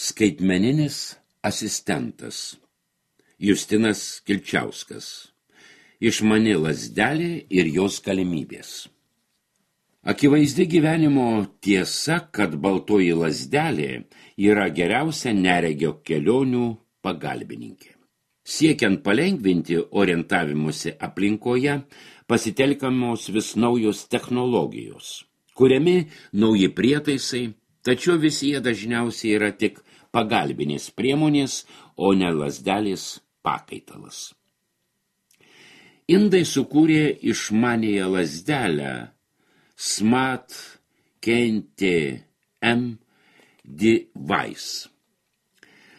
Skaitmeninis asistentas Justinas Kilčiauskas. Išmani lazdelė ir jos galimybės. Akivaizdi gyvenimo tiesa, kad baltoji lazdelė yra geriausia neregio kelionių pagalbininkė. Siekiant palengvinti orientavimusi aplinkoje, pasitelkiamos vis naujos technologijos, kuriami nauji prietaisai, tačiau visi jie dažniausiai yra tik pagalbinės priemonės, o ne lazdelės pakaitalas. Indai sukūrė išmanėją lazdelę Smart KTM Device.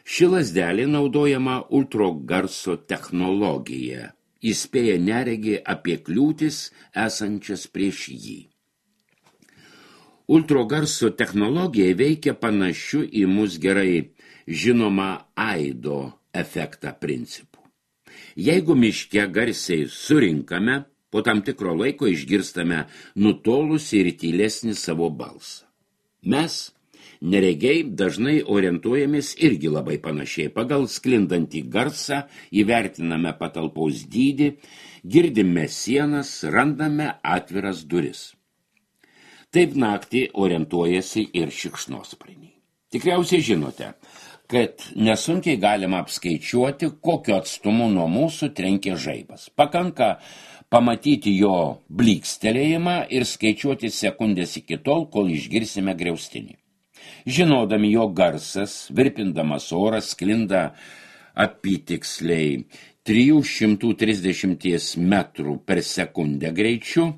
Ši lazdelė naudojama ultragarso technologija, įspėja neregį apie kliūtis esančias prieš jį. Ultragarso technologija veikia panašiu į mus gerai žinomą aido efektą principų. Jeigu miške garsiai surinkame, po tam tikro laiko išgirstame nutolusį ir tylesnį savo balsą. Mes, neregiai, dažnai orientuojamės irgi labai panašiai. Pagal sklindantį garsą įvertiname patalpos dydį, girdime sienas, randame atviras duris. Taip naktį orientuojasi ir šikšnosparniai. Tikriausiai žinote, kad nesunkiai galima apskaičiuoti, kokiu atstumu nuo mūsų trenkia žaibas. Pakanka pamatyti jo blykstelėjimą ir skaičiuoti sekundės iki tol, kol išgirsime griaustinį. Žinodami, jo garsas, virpindamas oras, sklinda apytiksliai 330 metrų per sekundę greičiu,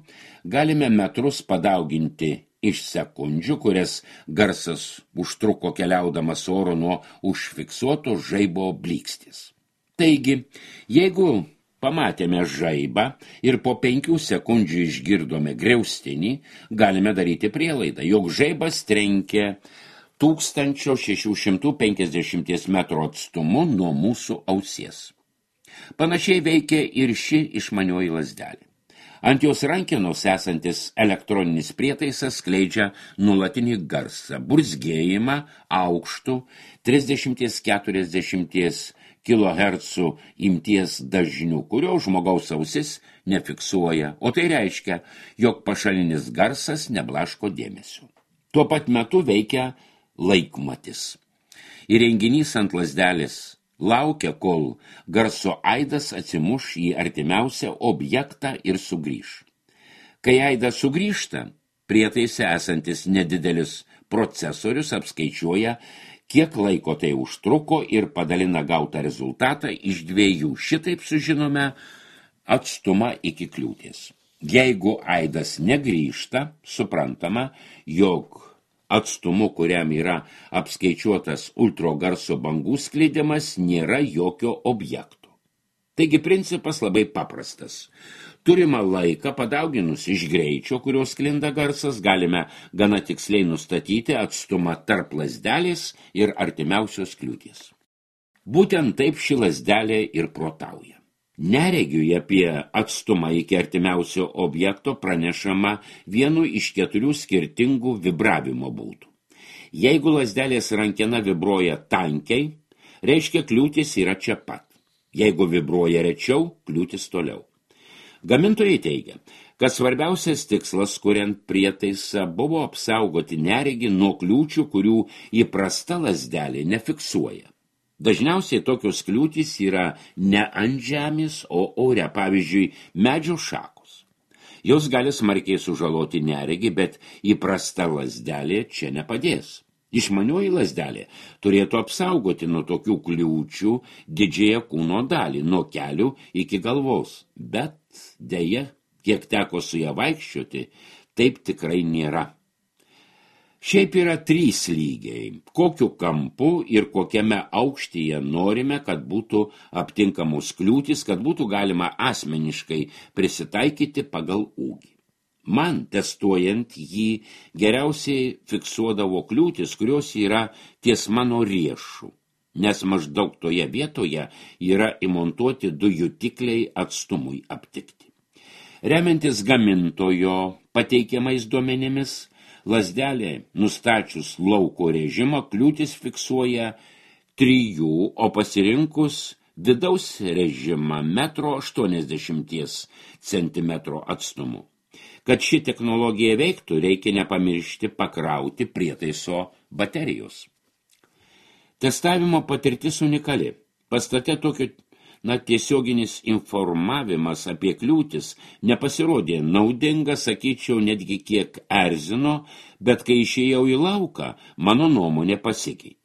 galime metrus padauginti iš sekundžių, kurias garsas užtruko keliaudamas oro nuo užfiksuoto žaibo blykstės. Taigi, jeigu pamatėme žaibą ir po 5 sekundžių išgirdome griaustinį, galime daryti prielaidą, jog žaibas trenkė 1650 metrų atstumu nuo mūsų ausies. Panašiai veikia ir ši išmanioji lazdelė. Ant jos rankenos esantis elektroninis prietaisas skleidžia nuolatinį garsą, burzgėjimą aukštų 30–40 kHz imties dažnių, kurio žmogaus ausis nefiksuoja, o tai reiškia, jog pašalinis garsas neblaško dėmesio. Tuo pat metu veikia laikmatis. Įrenginys ant lazdelės laukia, kol garso aidas atsimuš į artimiausią objektą ir sugrįš. Kai aidas sugrįžta, prietaise esantis nedidelis procesorius apskaičiuoja, kiek laiko tai užtruko ir padalina gautą rezultatą iš 2. Šitaip sužinome atstumą iki kliūties. Jeigu aidas negrįžta, suprantama, jog atstumu, kuriam yra apskaičiuotas ultragarso bangų skleidimas, nėra jokio objekto. Taigi principas labai paprastas. Turimą laiką padauginus iš greičio, kurio sklinda garsas, galime gana tiksliai nustatyti atstumą tarp lazdelės ir artimiausios kliūties. Būtent taip ši lazdelė ir protauja. Neregiui apie atstumą iki artimiausio objekto pranešama vienu iš 4 skirtingų vibravimo būdų. Jeigu lazdelės rankena vibruoja tankiai, reiškia kliūtis yra čia pat. Jeigu vibruoja rečiau, kliūtis toliau. Gamintojai teigia, kad svarbiausias tikslas, kuriant prietaisą, buvo apsaugoti neregį nuo kliūčių, kurių įprasta lazdelė nefiksuoja. Dažniausiai tokios kliūtys yra ne ant žemės, o ore, pavyzdžiui, medžio šakos. Jos gali smarkiai sužaloti neregį, bet įprasta lazdelė čia nepadės. Išmanioji lazdelė turėtų apsaugoti nuo tokių kliūčių didžiąją kūno dalį, nuo kelių iki galvos. Bet deja, kiek teko su ją vaikščioti, taip tikrai nėra. Šiaip yra 3 lygiai, kokiu kampu ir kokiame aukštyje norime, kad būtų aptinkamos kliūtis, kad būtų galima asmeniškai prisitaikyti pagal ūgį. Man, testuojant jį, geriausiai fiksuodavo kliūtis, kurios yra ties mano riešų, nes maždaug toje vietoje yra įmontuoti 2 jutikliai atstumui aptikti. Remiantis gamintojo pateikiamais duomenimis, Lazdelė, nustačius lauko režimą, kliūtis fiksuoja 3, o pasirinkus vidaus režimą 1,80 cm atstumu. Kad ši technologija veiktų, reikia nepamiršti pakrauti prietaiso baterijos. Testavimo patirtis unikali. Pastate tokio tiesioginis informavimas apie kliūtis nepasirodė naudinga, sakyčiau, netgi kiek erzino, bet kai išėjau į lauką, mano nuomonė pasikeitė.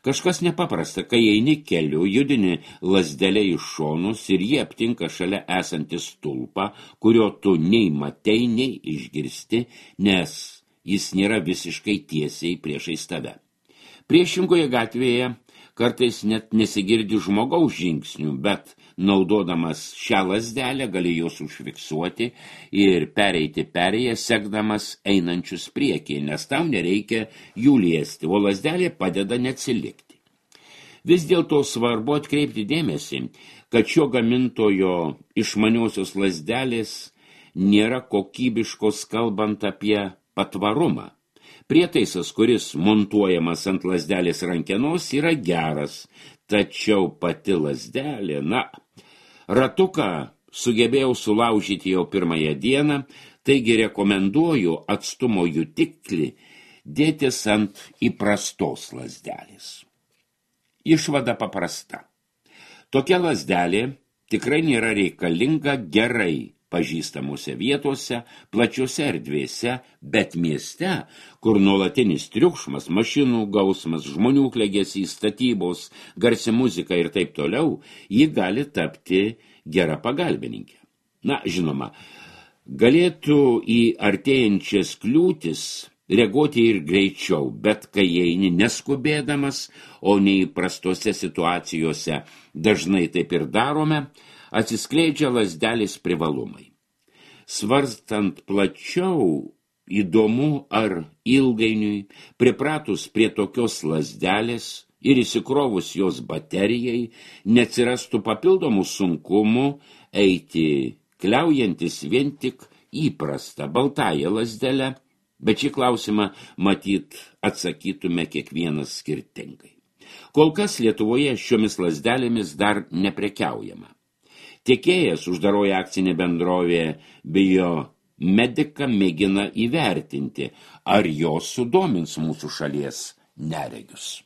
Kažkas nepaprasta, kai eini keliu, judini lazdelę iš šonus ir jie aptinka šalia esantį stulpą, kurio tu nei matei, nei išgirsti, nes jis nėra visiškai tiesiai priešais tave. Priešingoje gatvėje kartais net nesigirdi žmogaus žingsnių, bet naudodamas šią lazdelę gali juos užfiksuoti ir pereiti perėję, sekdamas einančius priekį, nes tau nereikia jų liesti, o lazdelė padeda neatsilikti. Vis dėlto svarbu atkreipti dėmesį, kad šio gamintojo išmaniosios lazdelės nėra kokybiškos, kalbant apie patvarumą. Prietaisas, kuris montuojamas ant lazdelės rankenos, yra geras, tačiau pati lazdelė, ratuką sugebėjau sulaužyti jau pirmąją dieną, taigi rekomenduoju atstumo jutiklį dėtis ant įprastos lazdelės. Išvada paprasta. Tokia lazdelė tikrai nėra reikalinga gerai pažįstamose vietose, plačiose erdvėse, bet mieste, kur nuolatinis triukšmas, mašinų gausmas, žmonių klegesys, statybos, garsi muzika ir taip toliau, ji gali tapti gera pagalbininkė. Žinoma, galėtų į artėjančias kliūtis reaguoti ir greičiau, bet kai eini neskubėdamas, o neįprastose situacijose dažnai taip ir darome, atsiskleidžia lazdelės privalumai. Svarstant plačiau, įdomu, ar ilgainiui, pripratus prie tokios lazdelės ir įsikrovus jos baterijai, neatsirastų papildomų sunkumų eiti kliaujantis vien tik įprastą baltąją lazdelę, bet šį klausimą matyt atsakytume kiekvienas skirtingai. Kol kas Lietuvoje šiomis lazdelėmis dar neprekiaujama. Tiekėjas, uždaroji akcinė bendrovė Biomedica, mėgina įvertinti, ar jos sudomins mūsų šalies neregius.